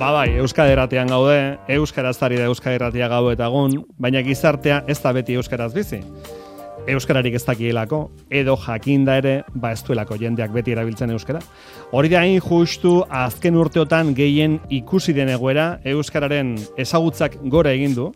Bai, Euskadi Irratian gaude, euskaraz ari da Euskadi Irratia gau eta egun, baina gizartea ez da beti euskaraz bizi. Euskararik ez dakielako, edo jakinda ere, ez duelako jendeak beti erabiltzen euskara. Hori da hain justu azken urteotan gehien ikusi den egoera, euskararen ezagutzak gora egin du,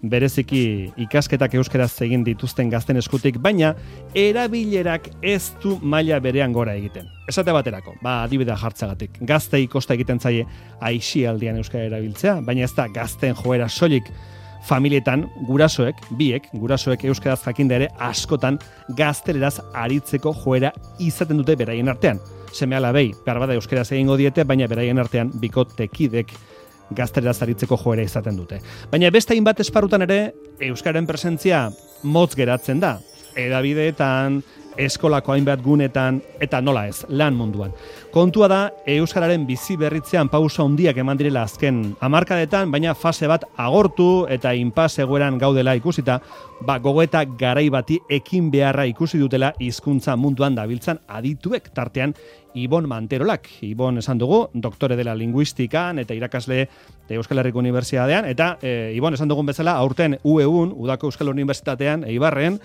bereziki ikasketak euskaraz egin dituzten gazten eskutik, baina erabilerak ez du maila berean gora egiten. Esate baterako, adibidea jartzagatik. Gaztei kosta egiten zaie aisialdian euskara erabiltzea, baina ez da gazten joera soilik. Familietan gurasoek euskaraz jakinda ere askotan gazteleraz aritzeko joera izaten dute beraien artean. Seme-alabei, beharbada euskaraz egingo diete, baina beraien artean bikotekidek gazteleraz aritzeko joera izaten dute. Baina beste hainbat esparrutan ere euskararen presentzia motz geratzen da. Hedabideetan, eskolako hainbat gunetan, eta nola ez, lan munduan. Kontua da, euskararen bizi berritzean pausa handiak eman direla azken hamarkadetan, baina fase bat agortu eta inpas egoeran gaudela ikusita, gogoeta garai bati ekin beharra ikusi dutela hizkuntza munduan dabiltzan adituek tartean Ibon Manterolak. Ibon esan dugu, doktore dela linguistikan eta irakasle Euskal Herriko Unibertsitatean, eta Ibon esan dugun bezala, aurten UEUn, Udako Euskal Unibertsitatean, Eibarren,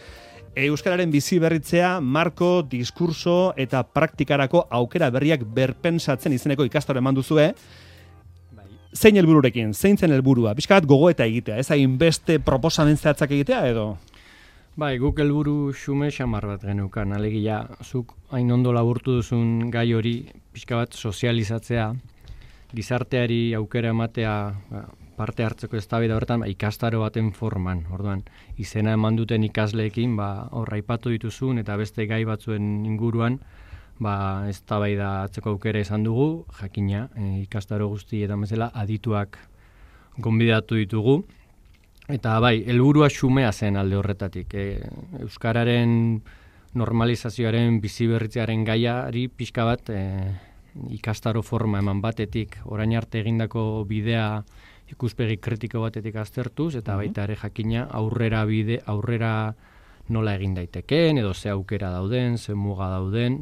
euskararen bizi berritzea, marko, diskurso eta praktikarako aukera berriak berpensatzen izeneko ikastaro eman duzue. Zein helbururekin, zein zen helburua? Pixka bat gogoeta egitea, ez hainbeste proposamen zehatzak egitea edo? Guk helburu xume xamar bat geneukan, alegia, zuk hain ondo laburtu duzun gai hori pixka bat sozializatzea, gizarteari aukera ematea, parte hartzeko eztabaida horretan ikastaro baten forman. Orduan, izena eman duten ikasleekin, hor aipatu dituzun eta beste gai batzuen inguruan, eztabaida hartzeko aukera izan dugu, jakina, ikastaro guztietan bezala adituak gonbidatu ditugu. Eta helburua xumea zen alde horretatik. Euskararen normalizazioaren biziberritzearen gaiari pixka bat ikastaro forma eman batetik, orain arte egindako bidea ikuspegi kritiko batetik aztertuz, eta baita ere jakina aurrera nola egin daitekeen, edo ze aukera dauden, ze muga dauden,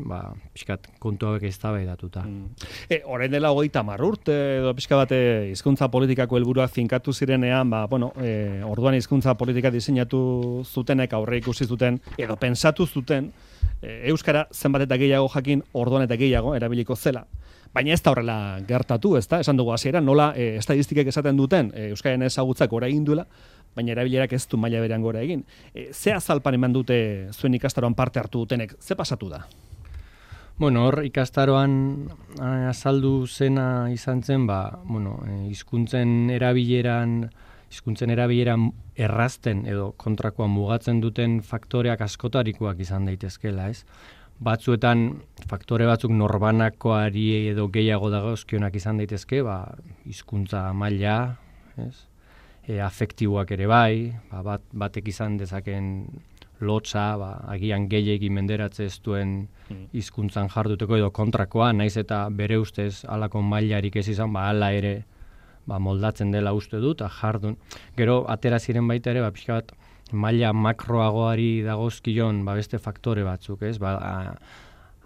pixkat kontu hauek eztabaidatuta. Orain dela 30 urte, edo pixka bat hizkuntza politikako helburuak finkatu zirenean, orduan hizkuntza politika diseinatu zutenek aurre ikusi zuten, edo pensatu zuten, euskara zenbat eta gehiago jakin, orduan eta gehiago erabiliko zela. Baina ez da horrela gertatu, ezta? Esan dugu hasieran nola estadistikek esaten duten euskararen ezagutzak gora egin duela, baina erabilerak ez du maila berean gora egin. Ze azalpan eman dute zuen ikastaroan parte hartu dutenek? Ze pasatu da? Hor ikastaroan azaldu zena izan zen, hizkuntzen erabileran errazten edo kontrakoan mugatzen duten faktoreak askotarikoak izan daitezkeela, ez? Batzuetan faktore batzuk norbanakoari edo gehiago dagozkionak izan daitezke, hizkuntza maila, ez? Afektiboak ere batek izan dezaken lotza, agian gehiegi menderatze ez duen hizkuntzan jarduteko edo kontrakoa, naiz eta bere ustez halako mailarik ez izan, hala ere moldatzen dela uste dut, jardun. Gero, atera ziren baita ere, pixka bat, maila makroagoari dagozkion beste faktore batzuk, ez?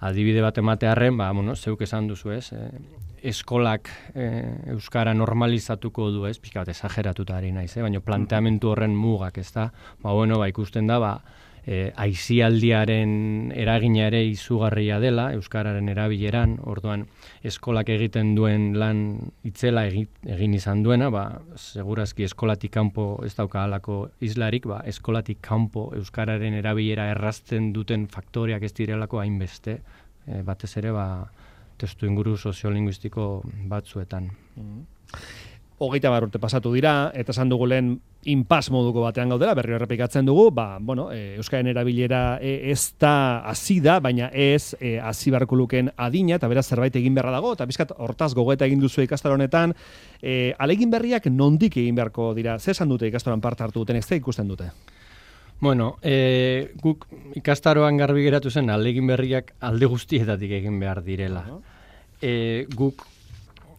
Adibide bat ematearren, zeuk esan duzu, ez? Eskolak euskara normalizatuko du, ez? Pixka bat esageratuta ari naiz, baina planteamentu horren mugak, ez da? Ikusten da, aisialdiaren eragina ere izugarria dela, euskararen erabileran, orduan eskolak egiten duen lan itzela egin izan duena, segurazki eskolatik kanpo ez dauka halako islarik, eskolatik kanpo euskararen erabilera errazten duten faktoreak ez direlako hainbeste, batez ere testu inguru soziolinguistiko batzuetan. 30 urte pasatu dira, eta esan dugu lehen inpas moduko batean gaudela, berriro errepikatzen dugu, euskaren erabilera ez da hasi da, baina ez hasi beharko lukeen adina, eta beraz zerbait egin beharra dago, eta bizkat hortaz gogoeta egin duzu ikastaro honetan, ahalegin berriak nondik egin beharko dira, ze esan dute ikastaroan parte hartu duten, ez da ikusten dute? Guk ikastaroan garbi geratu zen, ahalegin berriak alde guztietatik egin behar direla. Guk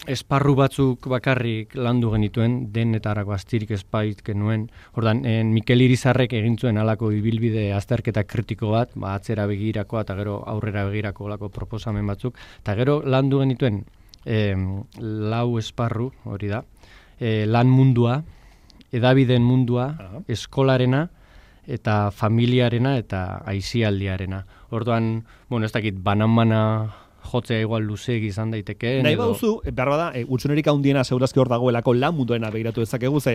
esparru batzuk bakarrik landu genituen, denetarako astirik espait genuen. Ordan, Mikel Irizarrek egin zuen halako ibilbide azterketa kritiko bat, atzera begirakoa eta gero aurrera begirako olako proposamen batzuk, eta gero landu genituen lau esparru, hori da, lan mundua, edabideen mundua, eskolarena, eta familiarena eta aisialdiarena. Orduan, ez dakit, banan-bana jotzea igual luzeegi izan daiteke. Nahi bauzu, behar bada, utsunerik handiena segurazki hor dagoelako lan munduena begiratu dezakegu, ze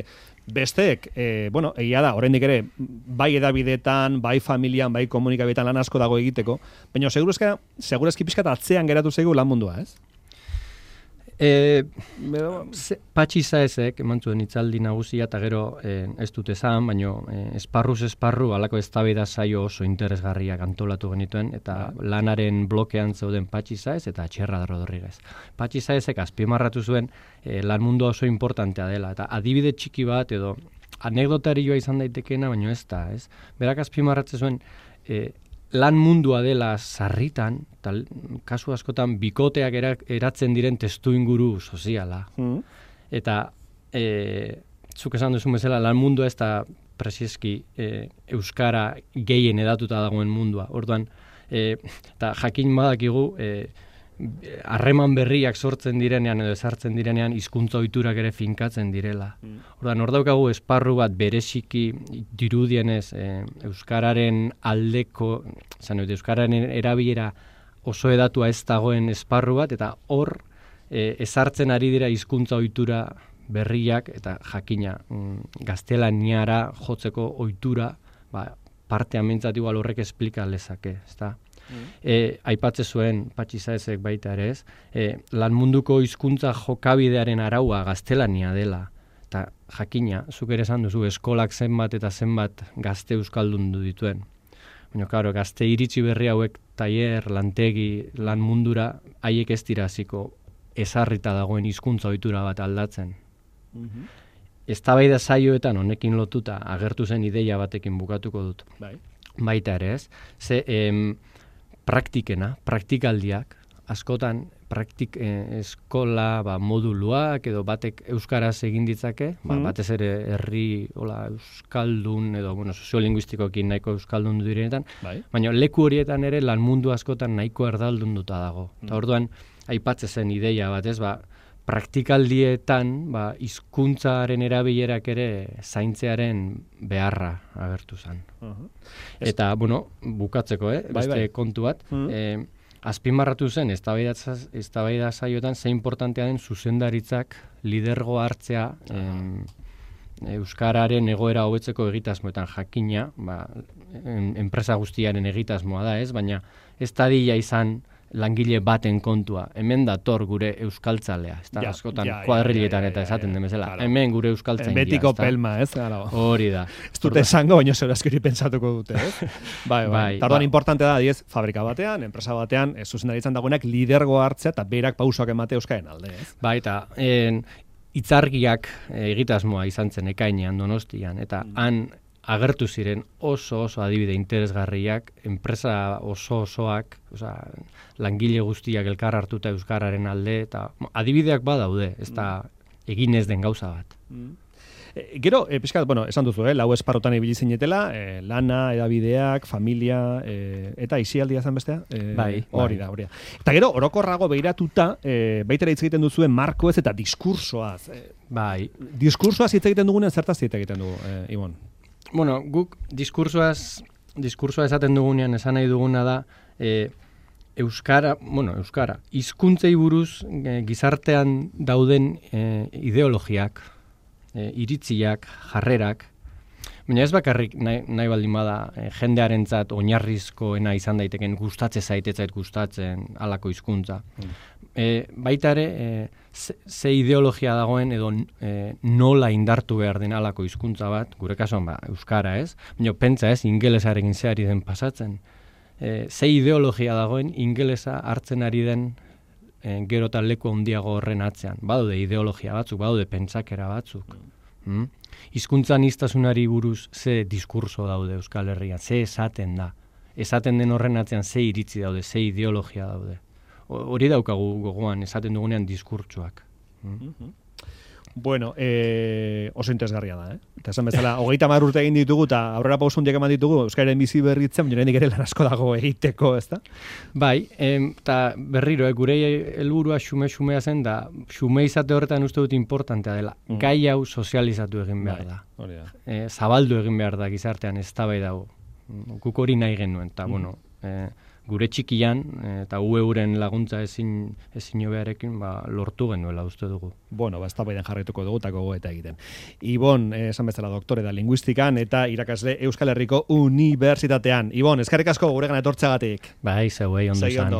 besteek, egia da, oraindik ere, bai edabideetan, bai familian, bai komunikabideetan lan asko dago egiteko, baina segurazki pixkat atzean geratu zaigu lan mundua, ez? Patxi Saezek eman zuen hitzaldi nagusia eta gero ez dut esan, baina esparruz esparru halako eztabaida saio oso interesgarriak antolatu genituen eta lanaren blokean zeuden Patxi Saez eta Txerra Rodriguez. Patxi Saezek azpimarratu zuen lan mundua oso importantea dela eta adibide txiki bat edo anekdotarioa izan daitekeena, baina ez da, ez? Berak azpimarratzen zuen lan mundua dela sarritan, kasu askotan bikoteak eratzen diren testu inguru soziala. Eta zuk esan duzu bezala, lan mundua ez da presieski euskara gehien edatuta dagoen mundua. Orduan, eta jakin badakigu, harreman berriak sortzen direnean edo ezartzen direnean hizkuntza ohiturak ere finkatzen direla. Orduan, hor daukagu esparru bat bereziki dirudienez euskararen aldeko, euskararen erabilera oso edatua ez dagoen esparru bat, eta hor ezartzen ari dira hizkuntza ohitura berriak eta jakina gaztelaniara jotzeko ohitura, partean mintzat igual horrek esplika lezake, ezta? Aipatze zuen Patxi Saezek baita ere ez, lan munduko hizkuntza jokabidearen araua gaztelania dela, eta jakina, zuk ere esan duzu, eskolak zenbat eta zenbat gazte euskaldundu dituen. Baina, karo, gazte iritsi berri hauek tailer, lantegi, lan mundura, haiek ez dira hasiko ezarrita dagoen hizkuntza ohitura bat aldatzen. Eztabaida saioetan honekin lotuta agertu zen ideia batekin bukatuko dut. Baita ere ez, praktikaldiak, askotan eskola moduluak edo batek euskaraz egin ditzake, batez ere herri euskaldun edo soziolinguistikoekin nahiko euskaldun direnetan, baina leku horietan ere lan mundu askotan nahiko erdaldunduta dago. Eta orduan aipatze zen ideia bat, ez, praktikaldietan hizkuntzaren erabilerak ere zaintzearen beharra agertu zen. Eta, bukatzeko, beste kontu bat, azpimarratu zen eztabaida saioetan ze importantea den zuzendaritzak lidergo hartzea euskararen egoera hobetzeko egitasmoetan jakina, enpresa guztiaren egitasmoa da, ez, baina ez dadila izan langile baten kontua. Hemen dator gure euskaltzalea. Ez da, askotan kuadriletan eta esaten den bezala. Hemen gure euskaltzain dira. Betiko pelma, ez? Hori da. Ez dute esango, baina segurazki pentsatuko dute, ez? Bai. Tarduan importante da, diez, fabrika batean, enpresa batean, zuzendaritzan dagoenak lidergo hartzea eta berak pausoak emate euskaren alde, ez? Bai, eta hitzargiak egitasmoa izan zen ekainean Donostian, eta han agertu ziren oso adibide interesgarriak, enpresa osoak, langile guztiak elkar hartuta euskararen alde, eta adibideak badaude, ez da egin ez den gauza bat. Gero, pixkat, esan duzu, lau esparrotan ibili zinetela, lana, edabideak, familia, eta aisialdia zen bestea? Bai. Hori da. Eta gero, orokorrago behiratuta, baitera hitz egiten duzuen markoez eta diskursoaz. Bai. Diskursoaz hitz egiten dugunen, zertaz hitz egiten dugu, Ibon? Guk diskursoa esaten dugunean esan nahi duguna da euskara, hizkuntzei buruz gizartean dauden ideologiak, iritziak, jarrerak, baina ez bakarrik nahi baldin bada jendearentzat oinarrizkoena izan daiteken gustatzen gustatzen halako hizkuntza. Baita ere, ze ideologia dagoen edo nola indartu behar den halako hizkuntza bat, gure kasuan euskara ez, baina pentsa ez, ingelesarekin zeari den pasatzen. Ze ideologia dagoen ingelesa hartzen ari den gero eta leku handiago horren atzean. Badaude ideologia batzuk, badaude pentsakera batzuk. Hizkuntza aniztasunari buruz ze diskurso daude Euskal Herrian, ze esaten da. Esaten den horren atzean ze iritzi daude, ze ideologia daude. Hori daukagu gogoan, esaten dugunean diskurtsoak. Bueno, oso interesgarria da, Eta esan bezala, 30 urte egin ditugu, eta aurrera pauso hundiak eman ditugu, Euskaren bizi berritzen, baina ere lan asko dago egiteko, ezta? Bai, eta berriro, gure helburua xume-xumea zen, da xume izate horretan uste dut importantea dela. Gai hau sozializatu egin behar da. Zabaldu egin behar da gizartean, eztabaida dago. Guk hori nahi genuen, eta bueno, gure txikian, eta euren laguntza ezin hobearekin, lortu genuela uste dugu. Bueno, eztabaidan jarraituko dugu eta gogoeta egiten. Ibon, esan bezala doktore da linguistikan eta irakasle Euskal Herriko Unibertsitatean. Ibon, eskerrik asko guregan etortzeagatik. Bai, zeuei ondo izan.